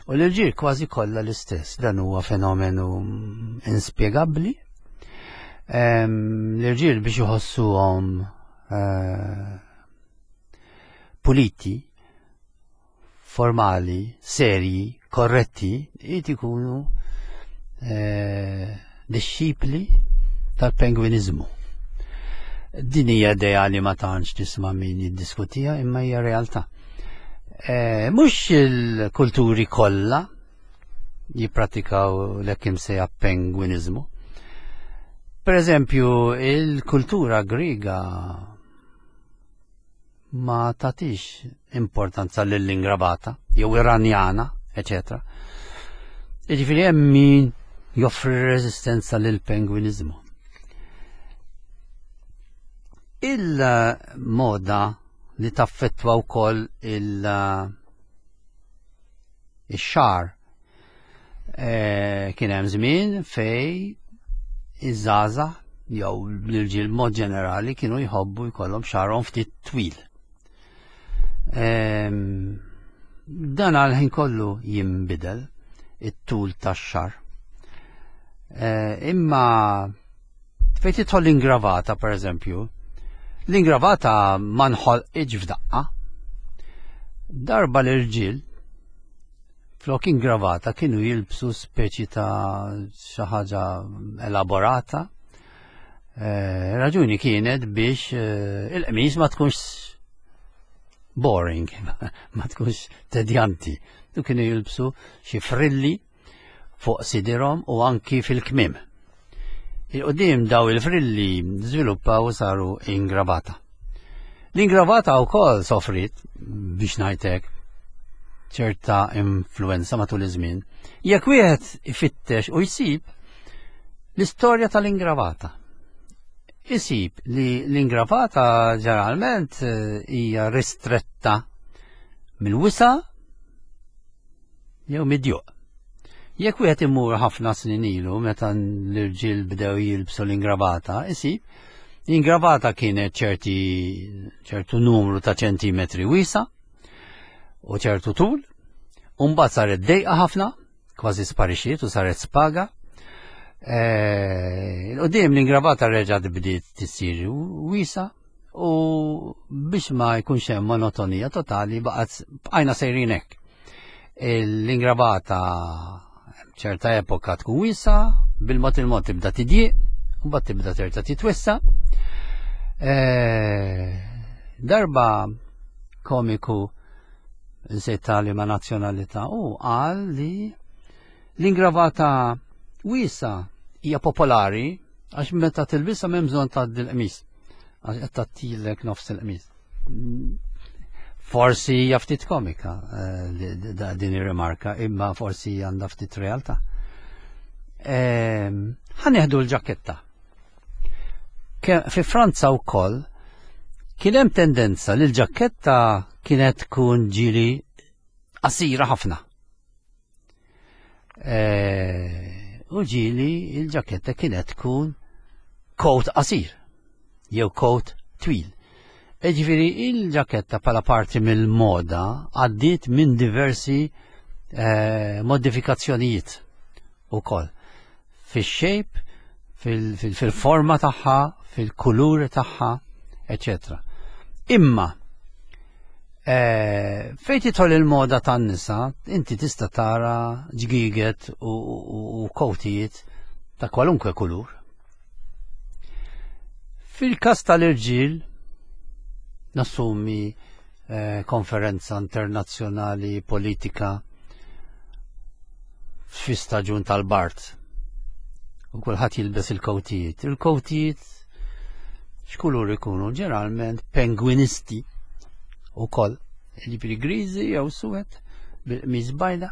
U l-irġiel kważi kollha l-istess. Dan huwa fenomenu inspjegabbli. L-irġiel biex iħossuhom eh, puliti, formali, serji, korretti, irid ikunu eh, disċipli tal-pengwinizmu. Din hija idea li ma tantx tisma' min jiddiskutiha, imma hija realtà. E, mhux il-kulturi kollha jippratikaw l-hekk imsejjaħ pengwinizmu. Per eżempju, il-kultura Griega ma tatix importanza lill-ingravata, jew Iranjana, eċetera. Jiġifieri hemm min joffri reżistenza lill-pengwinizmu. Il-moda li taffettwa wkoll il-xagħar, kien hemm żmien fej iż-żgħażagħ jew l-irġiel mod ġenerali kienu jħobbu jkollhom xagħarhom ftit twil. Dan għal ħin kollu jinbidel it-tul tax-xagħar. Imma fejn tidħol l-ingravata, per eżempju, l-ingravata ma nħolqitx f'daqqa. Darba l-irġiel flok ingravata kienu jilbsu speċi ta' xi ħaġa elaborata. Eh, raġuni kienet biex eh, il-qmis ma tkunx boring, ma tkunx tedjanti. U kienu jilbsu xi frilli fuq sidirhom u anki fil-kmim. Il-qudiem daw il-frilli żviluppaw u saru ingravata. L-ingravata wkoll sofrit, biex ngħidlek, ċerta influenza matul iż-żmien. Jekk wieħed ifittex u jsib l-istorja tal-ingravata, isib li l-ingravata ġeneralment eh, hija ristretta mill-wisa jew mid-djuq. Jekk wieħed imur ħafna snin ilu meta l-irġiel bdew jilbsu l-ingravata, isib l-ingravata kienet ċerti ċertu numru ta' ċentimetri wiesa u ċertu tul, u mbagħad saret dejqa ħafna, kważi sparixxiet u saret spaga. Il-qudiem l-ingravata reġgħet bdiet tisir wiesa u biex ma jkunx hemm monotonija totali baqgħet bqajna sejrin hekk. L-ingravata ċerta epoka tkun wiesa, bil-mod il-mod tibda tidjieq, u mbagħad tibda terġa' titwissa. Darba komiku Insejt tali ma' nazzjonalità, u qal li l-ingravata wiesa hija popolari għax meta tilbisha m'hemm bżonn tgħaddi l-qmis. Għax qed tgħattilek nofs il-qmis. Forsi hija ftit komika eh, din ir-rimarka, imma forsi għandha ftit realtà. Ehm, ħa nieħdu l-ġaketta. Fi Franza wkoll kien hemm tendenza li l-ġaketta kienet tkun ġili qasira ħafna. Eh, u ġili il-ġaketta kienet tkun coat qasir jew coat twil. Ġifieri il-ġaketta bħala parti mill-moda għaddiet minn diversi eh, modifikazzjonijiet ukoll. Fix-shape, fil-forma tagħha, fil-kulur tagħha, eċetera. Imma eh, fejn tidħol il-moda tan-nisa, inti tista' tara ġgiget u, u, u kowtijiet ta' kwalunkwe kulur. Fil-kas tal-irġiel, nassumi eh, konferenza internazzjonali politika fi staġun tal-bard. U kulħadd jilbes il-kowtijiet. Il-kowtijiet x'kulur ikunu? Ġeneralment pengwinisti ukoll. Ġifieri griżi jew suwed bil-qmis bajda.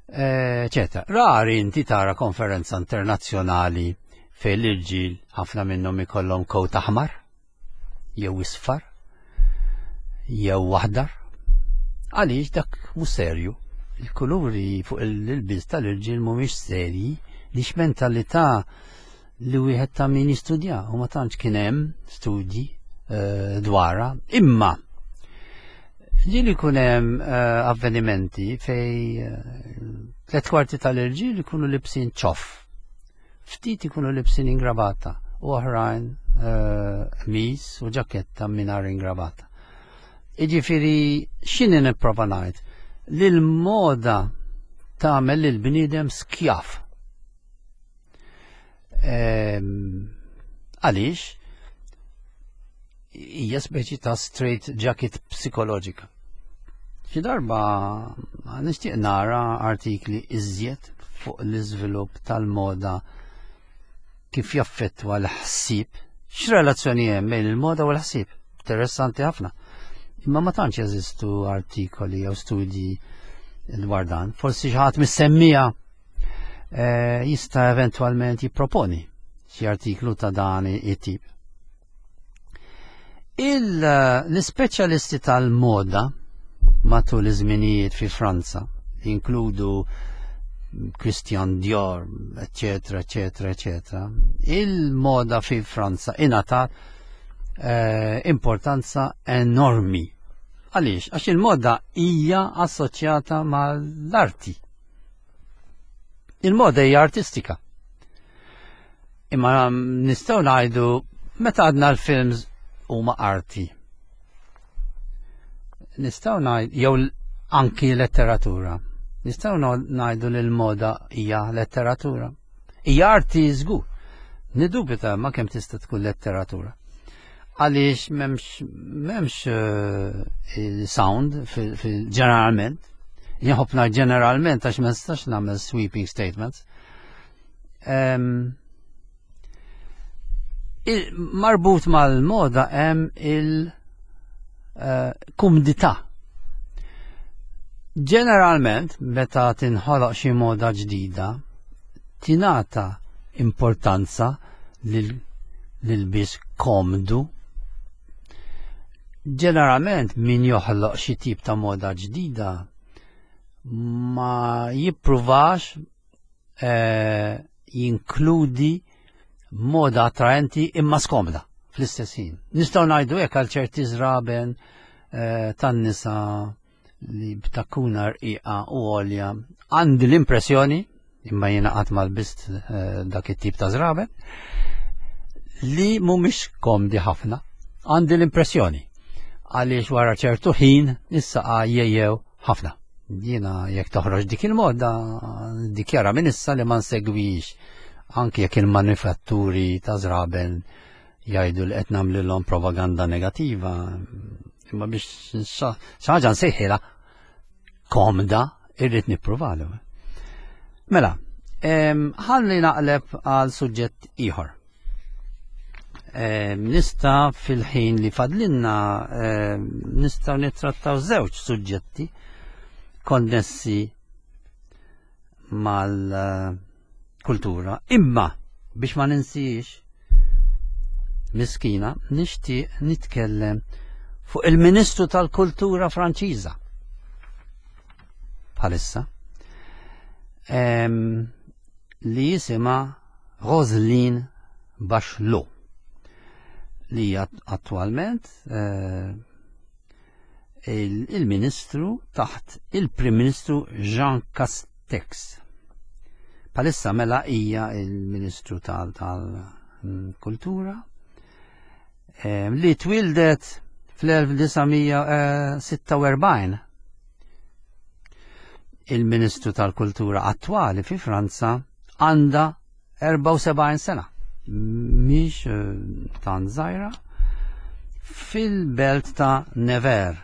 Eċetera. Rari inti tara konferenza internazzjonali fejn l-irġiel ħafna minnhom ikollhom kowt aħmar jew isfar jew aħdar. Għaliex dak mhux serju. Il-kuluri fuq il-ilbies tal-irġiel mhumiex serji, lix mentalità li wieħed ta' min jistudja u ma tantx kien hemm studji uh, dwarha. Imma ġieli jkun hemm uh, avvenimenti fej uh, tliet kwarti tal-irġiel ikunu libsin ċoff. Ftit ikunu libsin ingravata u oħrajn qmis u ġaketta mingħajr ingravata. Iġifieri x'inhi nipprova ngħid? Li l-moda tagħmel lil bniedem skjav. Għaliex? Hija speċi ta' straight jacket psikoloġika. Xi darba nixtieq nara artikli iżjed fuq l-iżvilupp tal-moda kif jaffettwa l-ħsieb, x'relazzjoni hemm bejn il-moda u l-ħsieb. Interessanti ħafna. Imma ma tantx jeżistu artikoli jew studji dwar dan. Forsi xi ħadd mis-semmija eh, jista' eventwalment jipproponi xi artiklu ta' dan it-tip. L-ispeċjalisti tal-moda matul iż-żminijiet fi Franza, inkludu Christian Dior, eccetera, eccetera, eccetera, il-moda fi Franza ingħatat eh, importanza enormi. Għaliex? Għax il-moda hija assoċjata mal-arti. Il-moda hija artistika. Imma nistgħu ngħidu meta għadna l-films huma arti. Nistgħu ngħidu jew anki letteratura. Nistgħu ngħidu li l-moda hija letteratura. Hija arti żgur. Nidubita ma kemm tista' tkun letteratura. Għaliex m'hemmx m'hemmx uh, sound fil-ġeneralment. Jħobna ġeneralment għax ma nistax nagħmel sweeping statements. Um, il, marbut mal-moda hemm il-kumdità. Uh, Ġeneralment, meta tinħoloq xi moda ġdida, tingħata importanza lil bis komdu. Ġeneralment min joħloq xi tip ta' moda ġdida ma jippruvax eh, jinkludi moda attraenti imma skomda fl-istess ħin. Nistgħu ngħidu hekk għal ċerti żraben eh, tan-nisa li b'takkuna rqiqa u għolja. Għandi l-impressjoni, imma jiena qatt ma lbist eh, dak it-tip ta' żraben, li mhumiex komdi ħafna. Għandi l-impressjoni għaliex wara ċertu ħin is-saqa jejjew ħafna. Jiena jekk toħroġ dik il-moda, dikjara minn issa li ma nsegwix, anki jekk il-manifatturi ta' żraben jgħidu li qed nagħmlilhom propaganda negattiva, Imma biex xi ħaġa nsejħilha komda, irrid nippruvalu. Mela, ħalli naqleb għal suġġett ieħor. Nista' fil-ħin li fadlinna nistgħu nittrattaw żewġ suġġetti konnessi mal-kultura. Imma biex ma ninsiex miskina, nixtieq nitkellem fuq il-Ministru tal-Kultura Franċiża bħalissa, li jisimha Roselyne Bachelot, li hija attualment eh, il-Ministru taħt il-Prim Ministru Jean Castex. Palissa mela hija il-Ministru tal-Kultura li twildet fl-elf disa' mija sitta u erbgħin. Il-Ministru tal-Kultura attwali fi Franza għandha erbgħa u sebgħin sena, mhix, eh, tant żgħira, fil-belt ta' Nevers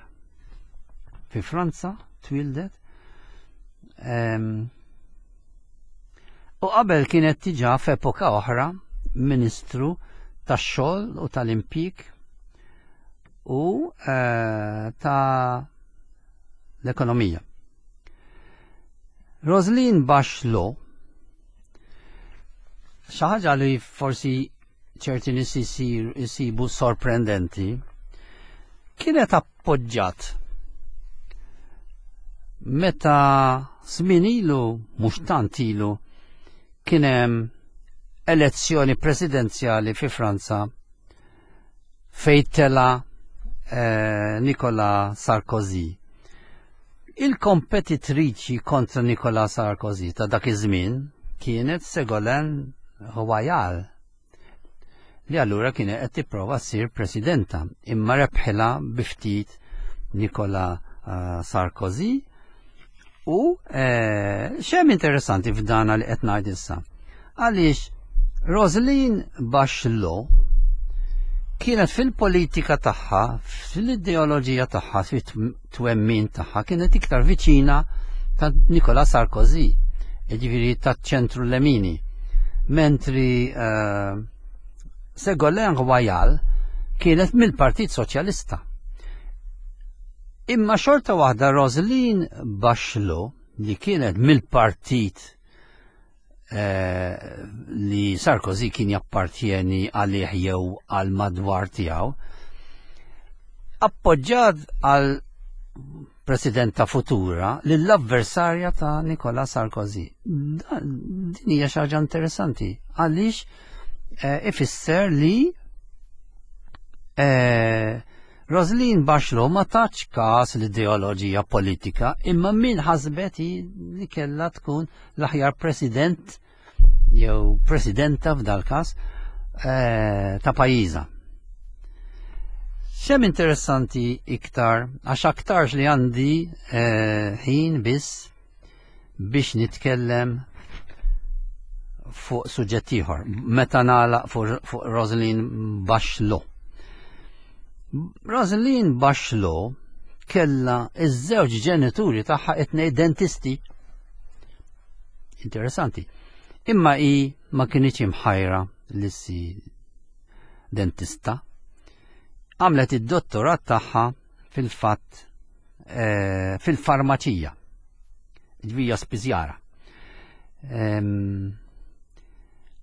fi Franza twildet. Em, u qabel kienet diġà f'epoka oħra Ministru tax-xogħol u tal-impjieg u, eh, ta' l-ekonomija. Roselyne Bachelot, xi ħaġa li forsi ċerti nies isir-, isibu sorprendenti, kienet appoġġat meta żmien ilu, mhux tant ilu, kien hemm elezzjoni presidenzjali fi Franza fejn tela, eh, Nicolas Sarkozy. Il-kompetitriċi kontra Nicolas Sarkozy ta' dak iż-żmien kienet Ségolène Royal, li allura kienet qed tipprova ssir presidenta, imma rebħilha bi ftit Nicolas, eh, Sarkozy. U, eh, xem interessanti f'dana li qed ngħid issa. Għaliex Roselyne Bachelot kienet fil-politika tagħha, fil-ideoloġija tagħha, fit-twemmin tagħha, kienet iktar viċina ta' Nicolas Sarkozy, jiġifieri taċ-ċentru Lemini. Mentri, eh, Ségolène Royal kienet mill-Partit Soċjalista. Imma xorta waħda Roselyne Bachelot, li kienet mill-partit, eh, li Sarkozy kien jappartjeni għalih jew għal madwar tiegħu, appoġġjat għal presidenta futura lill-avversarja ta' Nicolas Sarkozy. Dan, din hija xi ħaġa interessanti għaliex, eh, ifisser li, eh, Roselyne Bachelot ma tatx każ l-ideoloġija politika, imma min ħasbet hi li kellha tkun l-aħjar president jew presidenta f'dal każ, eh, ta' pajjiżha. Xem interessanti iktar, għax aktarx li għandi, eh, ħin biss biex nitkellem fuq suġġett ieħor, meta nagħlaq fuq, fuq Roselyne Bachelot. Roselyne Bachelot kellha iż-żewġ ġenituri tagħha it-tnejn dentisti. Interessanti. Imma hi ma kinitx imħajra li ssir dentista. Għamlet id-dottorat tagħha fil-fatt, eh, fil-farmaċija. Ġvija spiżjara. Em,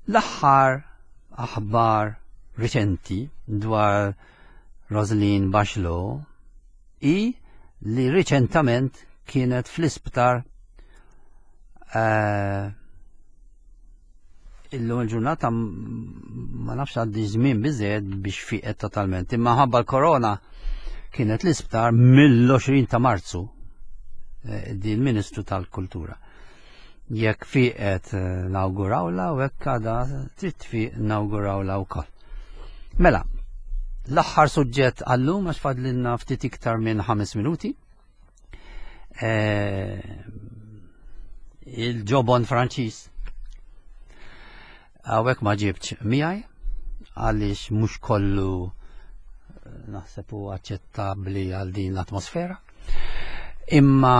l-aħħar aħbar riċenti dwar Roselyne Bachelot i li riċentament kienet fl-isptar, eh, illum il-ġurnata m-, ma nafx għaddi żmien biżejjed biex fiqet totalment, imma ħabba l-korona kienet l-isptar mill-għoxrin ta' Marzu, eh, di l-Ministru tal-Kultura. Jekk fiqet, eh, nawgurawla u jekk għadha trid tfiq nawgurawla wkoll. Mela, l-aħħar suġġett għallum għax fadlilna ftit iktar minn ħames minuti. Eh, il-ġobon Franċiż. Hawnhekk ma ġibtx miegħi għaliex mhux kollu Naħseb hu aċċettabbli għal din l-atmosfera. Imma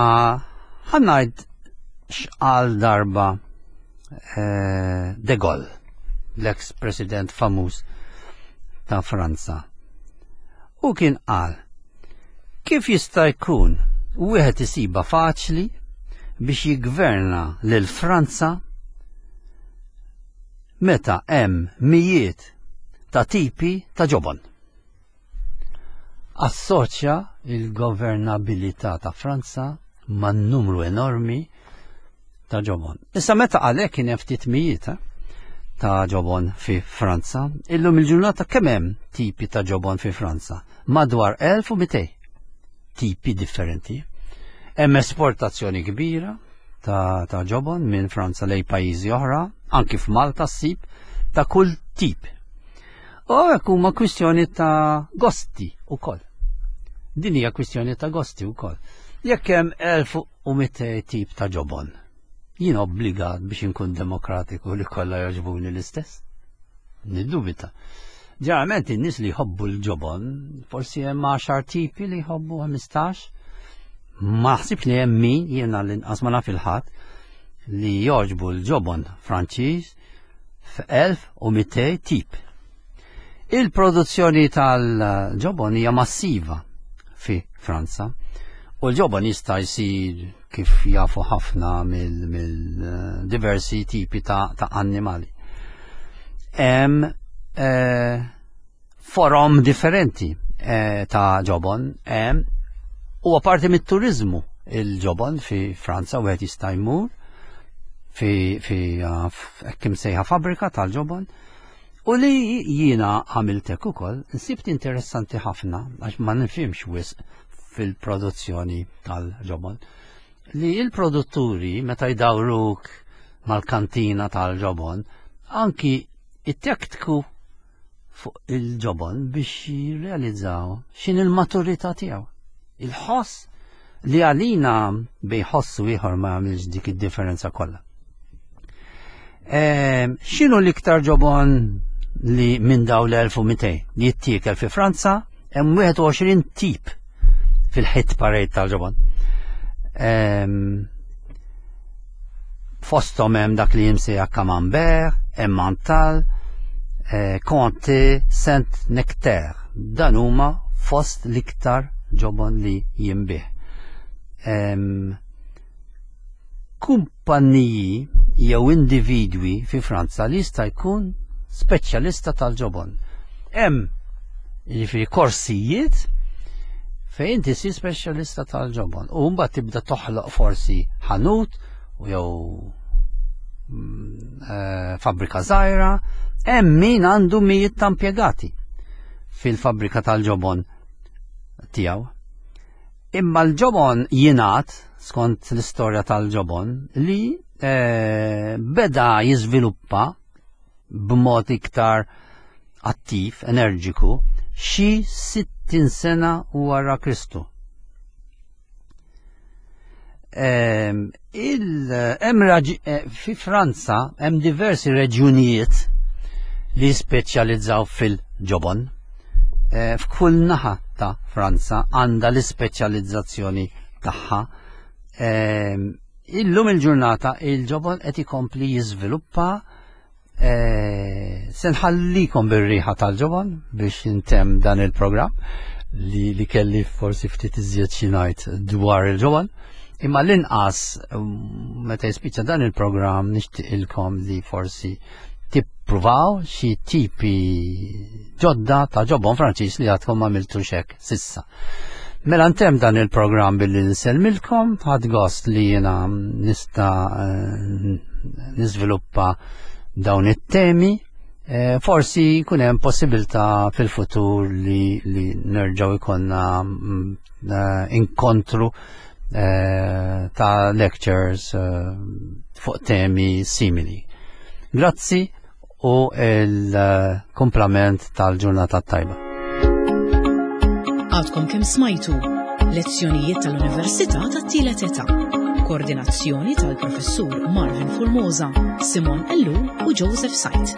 ħa ngħid x'qal darba eh, De Gaulle, l-ex president famuż ta' Franza. U kien qal, kif jista' jkun wieħed isiba faċli biex jiggverna lil Franza meta hemm mijiet ta' tipi ta' ġobon. Assoċja il-governabilità ta' Franza man numru enormi ta' ġobon. Issa meta għalhekk kien hemm ftit mijiet eh, ta' ġobon fi Franza, illum il-ġurnata kemm hemm tipi ta' ġobon fi Franza? Madwar elf u mitejn tipi differenti. Hemm esportazzjoni kbira ta', ta' ġobon minn Franza lejn pajjiżi oħra, anki f'Malta ssib ta' kull tip. U hekk huma kwistjoni ta' gosti ukoll. Din hija kwistjoni ta' gosti wkoll. Jekk hemm elf u mitejn tip ta' ġobon, jien obbligat biex inkun demokratiku li kollha jogħġbuni l-istess? Niddubita. Ġeneralment in-nies li jħobbu l-ġobon, forsi hemm għaxar tipi li jħobbu, ħmistax. Ma ħsibx li hemm min, jiena l-inqas ma naf il-ħadd li jogħġbu l-ġobon Franċiż f'elf u mitejn tip. Il-produzzjoni tal-ġobon hija massiva fi Franza u l-ġobon jista' jsir, kif jafu ħafna, mill-diversi tipi ta', ta annimali. Hemm eh, forom differenti eh, ta' ġobon, hemm u parti mit-turizmu il-ġobon fi Franza. U jista' jmur fi fi hekk imsejħa fabbrika tal-ġobon. U li jiena għamiltek ukoll, nsibt interessanti ħafna, għax ma nifhimx wisq fil-produzzjoni tal-ġobon, li il-produtturi meta jdawruk mal-kantina tal-ġobon, anki it-tektku fuq il-ġobon biex jirrealizzaw x'inhi il-maturità tiegħu. Il-ħoss li għalina bejn ħoss u ieħor ma jagħmilx dik id-differenza kollha. Ehm, x'inhu l-iktar ġobon li minn daw l-elf u mitejn li jittiekel fi Franza? Hemm wieħed u għoxrin tip fil-hit parade tal-ġobon. Ehm, fosthom hemm dak li jimsejjaħ Camembert, Emmental, eh, Comté, Saint Nectaire. Dan huma fost l-iktar ġobon li jinbiegħ. Ehm, kumpanniji jew individwi fi Franza li jista' jkun speċjalista tal-ġobon. Hemm jiġifieri korsijiet fejn inti ssir speċjalista tal-ġobon u mbagħad tibda toħloq forsi ħanut u jew mm, eh, fabbrika żgħira. Hemm min għandu mijiet ta' impjegati fil-fabbrika tal-ġobon tiegħu. Imma l-ġobon jingħad, skont l-istorja tal-ġobon, li eh, beda jiżviluppa b'mod iktar attiv, energiku, xi sittin sena wara Kristu. Ehm, il, hemm eh, fi Franza hemm diversi reġjunijiet li speċjalizzaw fil-ġobon. Eh, f'kull naħa ta' Franza għandha l-ispeċjalizzazzjoni tagħha. Ehm, illum il-ġurnata il-ġobon qed ikompli jiżviluppa. Eh, se nħallikom bir-riħa tal-ġobon biex intem dan il-programm li, li kelli forsi ftit iżjed xi ngħid dwar il-ġobon. Imma l-inqas mm, meta jispiċċa dan il-programm nixtieqilkom li forsi tippruvaw xi tipi ġodda ta' ġobon Franċiż li għadkom ma għamiltu hekk s'issa. Mela ntem dan il-programm billi nsellmilkom, ħadt gost li jiena nista' eh, niżviluppa dawn it-temi. Eh, forsi jkun hemm possibilità fil-futur li, li nerġgħu jkollna mm, eh, inkontru eh, ta' lectures fuq temi simili. Grazzi u il-kumplament tal-ġurnata tajba. Għadkom kemm smajtu lezzjonijiet tal-Università tat-Tielet Età. Koordinazzjoni tal-Professur Marvin Formosa, Simon Ellul u Joseph Sajt.